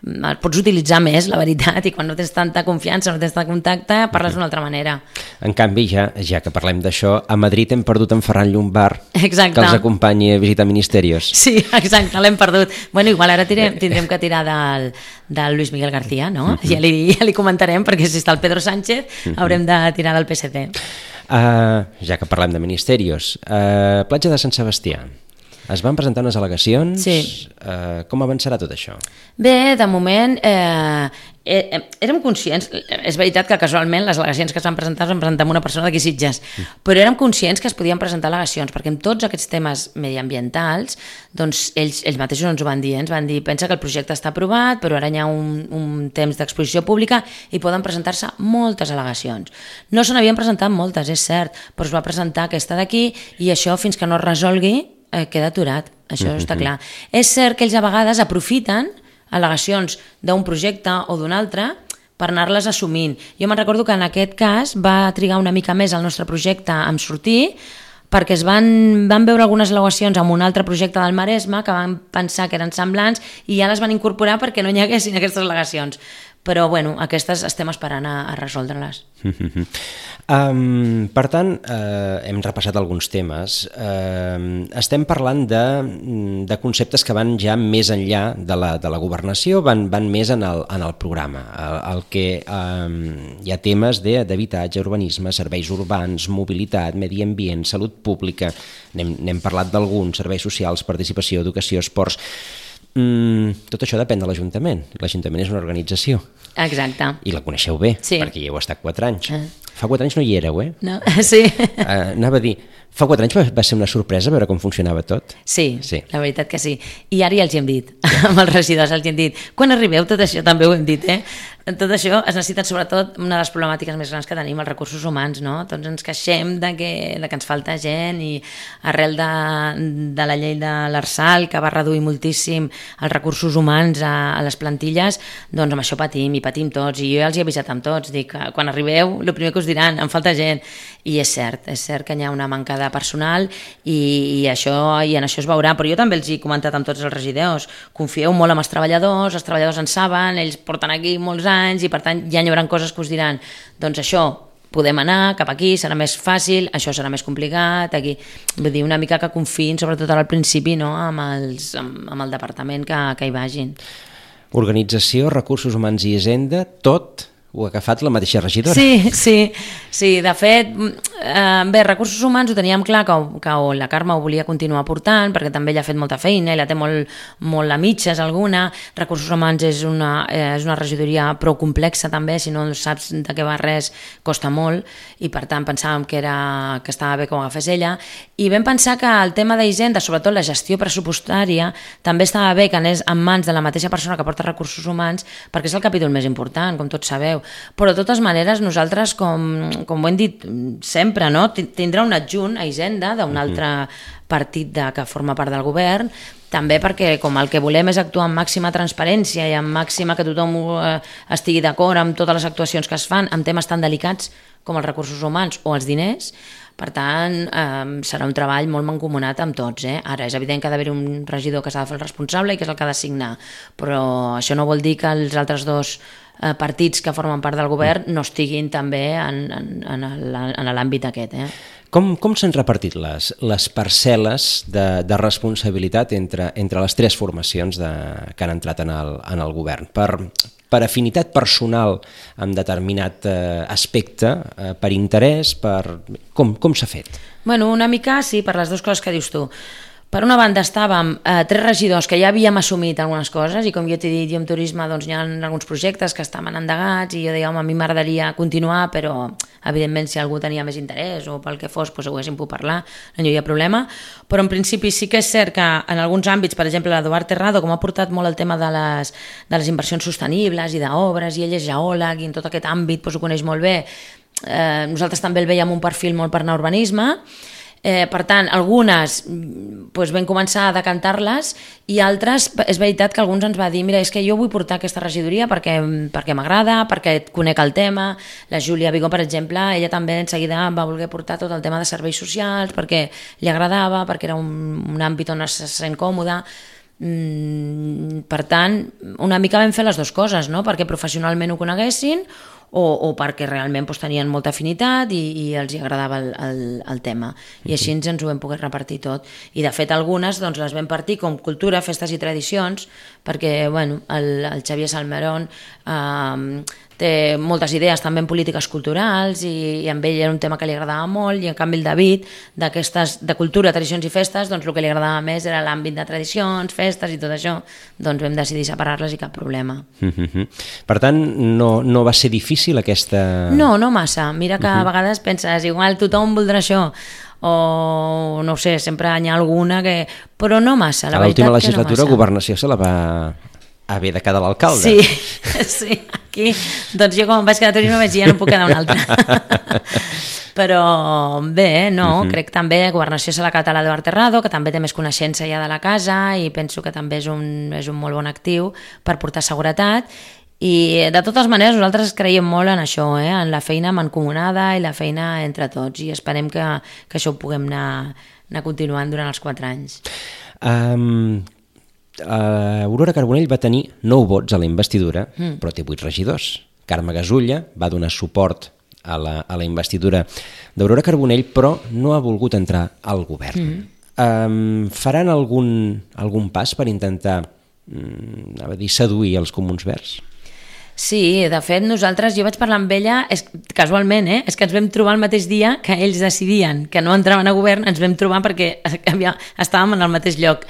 els pots utilitzar més, la veritat, i quan no tens tanta confiança, no tens tant contacte, parles uh-huh. d'una altra manera. En canvi, ja, ja que parlem d'això, a Madrid hem perdut en Ferran Llombart, exacte. Que els acompanyi a visitar Ministerios. Sí, exacte, l'hem perdut. Bueno, igual ara tirem, tindrem que tirar del, del Luis Miguel García, no? Uh-huh. Ja, li, ja li comentarem, perquè si està el Pedro Sánchez, uh-huh. haurem de tirar del P S C. Uh, ja que parlem de Ministerios, uh, platja de Sant Sebastià. Es van presentar unes al·legacions. Sí. Uh, com avançarà tot això? Bé, de moment eh, eh, érem conscients, és veritat que casualment les al·legacions que es van presentar es van presentar amb una persona d'aquí Sitges, mm. però érem conscients que es podien presentar al·legacions, perquè en tots aquests temes mediambientals, doncs ells, ells mateixos ens ho van dir, ens van dir, pensa que el projecte està aprovat, però ara hi ha un, un temps d'exposició pública i poden presentar-se moltes al·legacions. No se n'havien presentat moltes, és cert, però es va presentar aquesta d'aquí i això fins que no es resolgui eh, queda aturat, això mm-hmm. està clar. És cert que ells a vegades aprofiten al·legacions d'un projecte o d'un altre per anar-les assumint. Jo me'n recordo que en aquest cas va trigar una mica més el nostre projecte en sortir perquè es van, van veure algunes al·legacions amb un altre projecte del Maresme que van pensar que eren semblants i ja les van incorporar perquè no hi haguessin aquestes al·legacions. Però, bueno, aquestes estem esperant a, a resoldre-les. um, per tant, uh, hem repassat alguns temes. Uh, estem parlant de, de conceptes que van ja més enllà de la, de la governació, van, van més en el, en el programa. El, el que um, hi ha temes d'habitatge, urbanisme, serveis urbans, mobilitat, medi ambient, salut pública, n'hem parlat d'alguns, serveis socials, participació, educació, esports. Mm, tot això depèn de l'Ajuntament. L'Ajuntament és una organització. Exacte. I la coneixeu bé, sí. perquè hi heu estat quatre anys. Ah. Fa quatre anys no hi éreu, eh? No, sí. Uh, anava a dir, fa quatre anys va, va ser una sorpresa veure com funcionava tot? Sí, sí, la veritat que sí. I ara ja els hi hem dit, ja. amb els regidors els hi hem dit, quan arribeu tot això també ho hem dit, eh? Tot això es necessita sobretot una de les problemàtiques més grans que tenim, els recursos humans, no? Tots ens queixem de que, de que ens falta gent i arrel de, de la llei de l'Arsal, que va reduir moltíssim els recursos humans a, a les plantilles, doncs amb això patim i patim tots. I jo ja els he avisat amb tots, dic, quan arribeu, el primer que us diran, em falta gent. I és cert, és cert que hi ha una manca de personal i, i, això, i en això es veurà, però jo també els he comentat amb tots els regidors, confieu molt en els treballadors, els treballadors en saben, ells porten aquí molts anys i per tant ja hi haurà coses que us diran, doncs això, podem anar cap aquí, serà més fàcil, això serà més complicat, aquí, vull dir, una mica que confiïn, sobretot al principi, no? amb, els, amb, amb el departament que, que hi vagin. Organització, recursos humans i hisenda, tot ho ha agafat la mateixa regidora. Sí, sí, sí, de fet, eh, bé, recursos humans ho teníem clar que, que la Carme ho volia continuar portant, perquè també ella ha fet molta feina i la té molt, molt a mitges alguna. Recursos humans és una, eh, és una regidoria prou complexa també, si no saps de què va res costa molt i per tant pensàvem que, era, que estava bé que ho agafés ella i vam pensar que el tema d'Hisenda, sobretot la gestió pressupostària, també estava bé que anés en mans de la mateixa persona que porta recursos humans perquè és el capítol més important, com tots sabeu. Però de totes maneres nosaltres, com, com ho hem dit sempre, no? Tindrà un adjunt a Hisenda d'un altre partit de, que forma part del govern, també perquè com el que volem és actuar amb màxima transparència i amb màxima que tothom eh, estigui d'acord amb totes les actuacions que es fan en temes tan delicats com els recursos humans o els diners, per tant eh, serà un treball molt mancomunat amb tots. Eh? Ara és evident que ha d'haver un regidor que s'ha de fer el responsable i que és el que ha de signar, però això no vol dir que els altres dos eh, partits que formen part del govern no estiguin també en, en, en l'àmbit aquest. Eh? Com, com s'han repartit les, les parcel·les de, de responsabilitat entre, entre les tres formacions de, que han entrat en el, en el govern? Per, per afinitat personal en determinat eh, aspecte, eh, per interès, per... Com, com s'ha fet? Bueno, una mica sí, per les dues coses que dius tu. Per una banda estàvem eh, tres regidors que ja havíem assumit algunes coses i com jo t'he dit, jo en turisme doncs, hi ha alguns projectes que estaven endegats i jo deia, home, a mi m'agradaria continuar, però evidentment si algú tenia més interès o pel que fos, doncs ho haguéssim pogut parlar, no hi havia problema, però en principi sí que és cert que en alguns àmbits, per exemple l'Eduard Terrado, com ha portat molt el tema de les, de les inversions sostenibles i d'obres, i ell és geòleg i en tot aquest àmbit doncs, ho coneix molt bé, eh, nosaltres també el veiem un perfil molt per anar a urbanisme. Eh, per tant, algunes doncs, vam començar a decantar-les i altres, és veritat que alguns ens va dir mira, és que jo vull portar aquesta regidoria perquè, perquè m'agrada, perquè conec el tema. La Júlia Vigó, per exemple, ella també en seguida va voler portar tot el tema de serveis socials perquè li agradava, perquè era un, un àmbit on es sent còmode. Mm, per tant, una mica vam fer les dues coses, no? Perquè professionalment ho coneguessin o, o perquè realment doncs, tenien molta afinitat i, i els hi agradava el, el, el tema. I així ens ho vam poder repartir tot. I de fet algunes doncs, les vam partir com cultura, festes i tradicions, perquè bueno, el, el Xavier Salmerón eh, té moltes idees també en polítiques culturals i, i amb ell era un tema que li agradava molt, i en canvi el David d'aquestes, de cultura, tradicions i festes, doncs el que li agradava més era l'àmbit de tradicions, festes i tot això, doncs vam decidir separar-les i cap problema. Mm-hmm. Per tant, no, no va ser difícil aquesta... No, no massa. Mira que uh-huh. a vegades penses, igual tothom voldrà això, o no sé, sempre hi ha alguna que... Però no massa, la a veritat que no massa. A l'última legislatura, Governació se la va haver de quedar l'alcalde. Sí, sí, aquí, doncs jo com em vaig quedar a Torino vaig dir ja no puc quedar un altre. Però bé, no, uh-huh. crec també Governació se l'ha quedat a l'Eduard Terrado, que també té més coneixença ja de la casa i penso que també és un, és un molt bon actiu per portar seguretat. I de totes maneres nosaltres creiem molt en això, eh? En la feina mancomunada i la feina entre tots, i esperem que, que això ho puguem anar, anar continuant durant els quatre anys. Um, uh, Aurora Carbonell va tenir nou vots a la investidura, mm. però té vuit regidors. Carme Gasulla va donar suport a la, a la investidura d'Aurora Carbonell, però no ha volgut entrar al govern. Mm. Um, faran algun, algun pas per intentar um, a dir, seduir els comuns verds? Sí, de fet nosaltres, jo vaig parlar amb ella és, casualment, eh? És que ens vam trobar el mateix dia que ells decidien que no entraven a govern, ens vam trobar perquè havia, estàvem en el mateix lloc,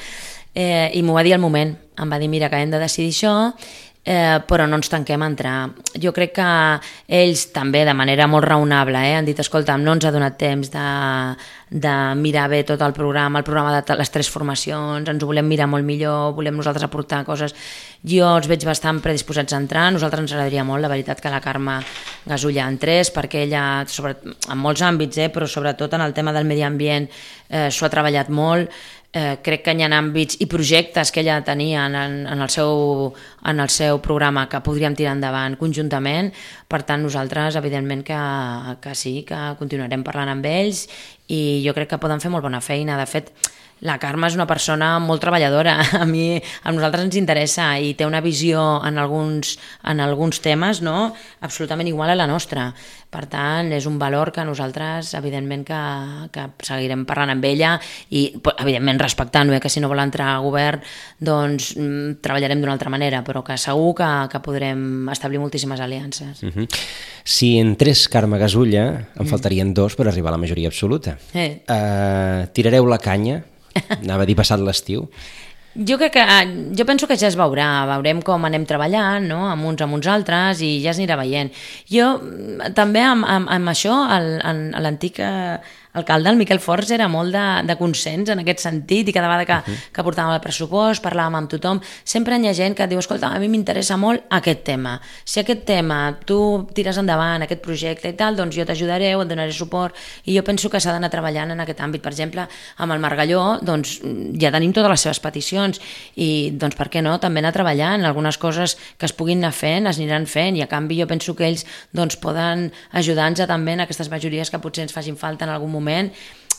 eh, i m'ho va dir al moment, em va dir mira que hem de decidir això, eh, però no ens tanquem a entrar. Jo crec que ells també de manera molt raonable eh, han dit escolta, no ens ha donat temps de, de mirar bé tot el programa, el programa de les tres formacions, ens ho volem mirar molt millor, volem nosaltres aportar coses. Jo els veig bastant predisposats a entrar, a nosaltres ens agradaria molt, la veritat, que la Carme Gasulla entrés, perquè ella, sobre, en molts àmbits, eh, però sobretot en el tema del medi ambient, eh, s'ho ha treballat molt. Eh, crec que hi ha àmbits i projectes que ella tenia en, en, el seu, en el seu programa que podríem tirar endavant conjuntament. Per tant, nosaltres, evidentment, que, que sí, que continuarem parlant amb ells i jo crec que poden fer molt bona feina. De fet, la Carme és una persona molt treballadora, a mi, a nosaltres ens interessa i té una visió en alguns, en alguns temes, no? Absolutament igual a la nostra. Per tant, és un valor que nosaltres, evidentment, que, que seguirem parlant amb ella i, evidentment, respectant-ho, eh, que si no vol entrar a govern, doncs treballarem d'una altra manera, però que segur que, que podrem establir moltíssimes aliances. Uh-huh. Si entrés Carme Gasulla, en faltarien dos per arribar a la majoria absoluta. Eh. Uh, tirareu la canya? Anava a dir passat l'estiu. Jo crec que, jo penso que ja es veurà, veurem com anem treballant, no? Amb uns amb uns altres i ja es anirà veient. Jo també amb, amb, amb això, el, en, l'antic alcalde, el Miquel Forns, era molt de, de consens en aquest sentit i cada vegada que, uh-huh. que portàvem el pressupost, parlàvem amb tothom, sempre hi ha gent que et diu, escolta, a mi m'interessa molt aquest tema. Si aquest tema tu tires endavant, aquest projecte i tal, doncs jo t'ajudaré o et donaré suport i jo penso que s'ha d'anar treballant en aquest àmbit. Per exemple, amb el Margalló, doncs ja tenim totes les seves peticions i doncs per què no, també anar treballant, algunes coses que es puguin anar fent, es aniran fent i a canvi jo penso que ells doncs poden ajudar-nos també en aquestes majories que potser ens facin falta en algun moment.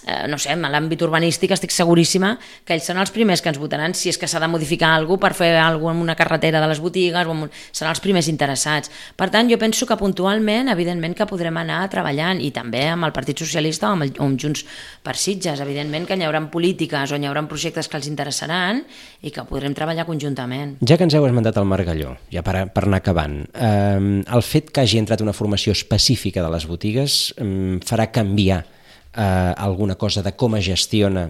Eh, no sé, en l'àmbit urbanístic estic seguríssima que ells són els primers que ens votaran si és que s'ha de modificar alguna cosa per fer alguna cosa en una carretera de les botigues, o en... seran els primers interessats. Per tant, jo penso que puntualment, evidentment que podrem anar treballant i també amb el Partit Socialista o amb, el, o amb Junts per Sitges, evidentment que hi haurà polítiques o hi haurà projectes que els interessaran i que podrem treballar conjuntament. Ja que ens heu esmentat el Margalló, ja per, per anar acabant, eh, el fet que hagi entrat una formació específica de les botigues eh, farà canviar Uh, alguna cosa de com es gestiona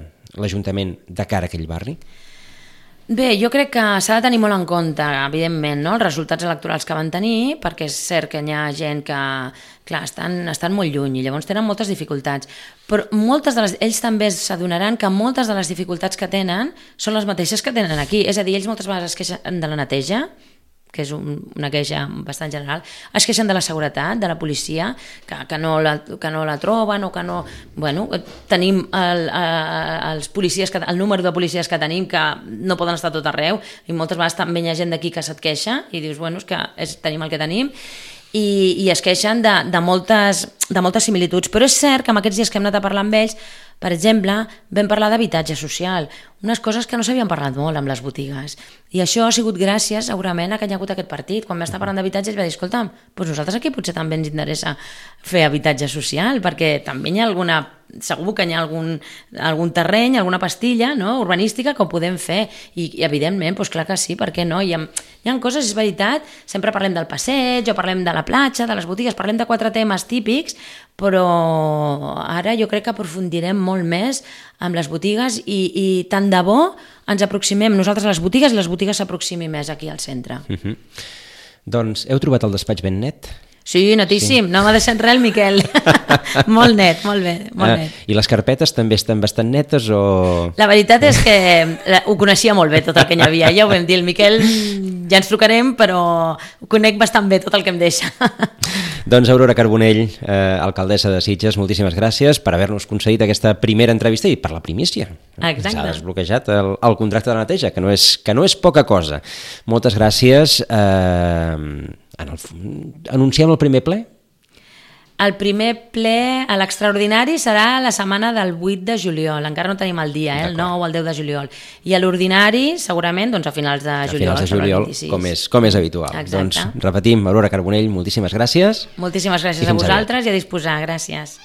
l'Ajuntament de cara a aquell barri? Bé, jo crec que s'ha de tenir molt en compte, evidentment, no? Els resultats electorals que van tenir, perquè és cert que hi ha gent que, clar, estan, estan molt lluny i llavors tenen moltes dificultats, però moltes de les, ells també s'adonaran que moltes de les dificultats que tenen són les mateixes que tenen aquí, és a dir, ells moltes vegades es queixen de la neteja, que és un, una queixa bastant general, es queixen de la seguretat, de la policia, que, que, no, la, que no la troben o que no... Bueno, tenim el, els policies, que, el número de policies que tenim que no poden estar tot arreu i moltes vegades també hi ha gent d'aquí que se't queixa i dius, bueno, és que és, tenim el que tenim i, i es queixen de, de, moltes, de moltes similituds. Però és cert que en aquests dies que hem anat a parlar amb ells, per exemple, vam parlar d'habitatge social, unes coses que no s'havien parlat molt amb les botigues. I això ha sigut gràcies, segurament, a que hi ha hagut aquest partit. Quan va estar parlant d'habitatge, es va dir, escolta'm, doncs nosaltres aquí potser també ens interessa fer habitatge social, perquè també hi ha alguna... segur que hi ha algun, algun terreny, alguna pastilla, no?, urbanística que ho podem fer. I, i evidentment, doncs clar que sí, per què no? Hi ha, hi ha coses, és veritat, sempre parlem del passeig, o parlem de la platja, de les botigues, parlem de quatre temes típics, però ara jo crec que aprofundirem molt més amb les botigues i, i tant de bo ens aproximem nosaltres a les botigues i les botigues s'aproximin més aquí al centre. Uh-huh. Doncs heu trobat el despatx ben net? Sí, netíssim, sí. No m'ha deixat res el Miquel. Molt net, molt bé, molt ah, net. I les carpetes també estan bastant netes o...? La veritat és que ho coneixia molt bé tot el que hi havia, ja ho vam dir, el Miquel ja ens trucarem, però ho conec bastant bé tot el que em deixa. Doncs Aurora Carbonell, eh, alcaldessa de Sitges, moltíssimes gràcies per haver-nos concedit aquesta primera entrevista i per la primícia. Exacte. S'ha desbloquejat el, el contracte de neteja, que no és, que no és poca cosa. Moltes gràcies. Eh, en el, anunciem el primer ple? El primer ple a l'extraordinari serà la setmana del vuit de juliol, encara no tenim el dia, eh? El nou o el deu de juliol. I a l'ordinari, segurament, doncs a finals de juliol. A finals de juliol, com és, com és habitual. Exacte. Doncs repetim, Aurora Carbonell, moltíssimes gràcies. Moltíssimes gràcies a vosaltres ara. I a disposar, gràcies.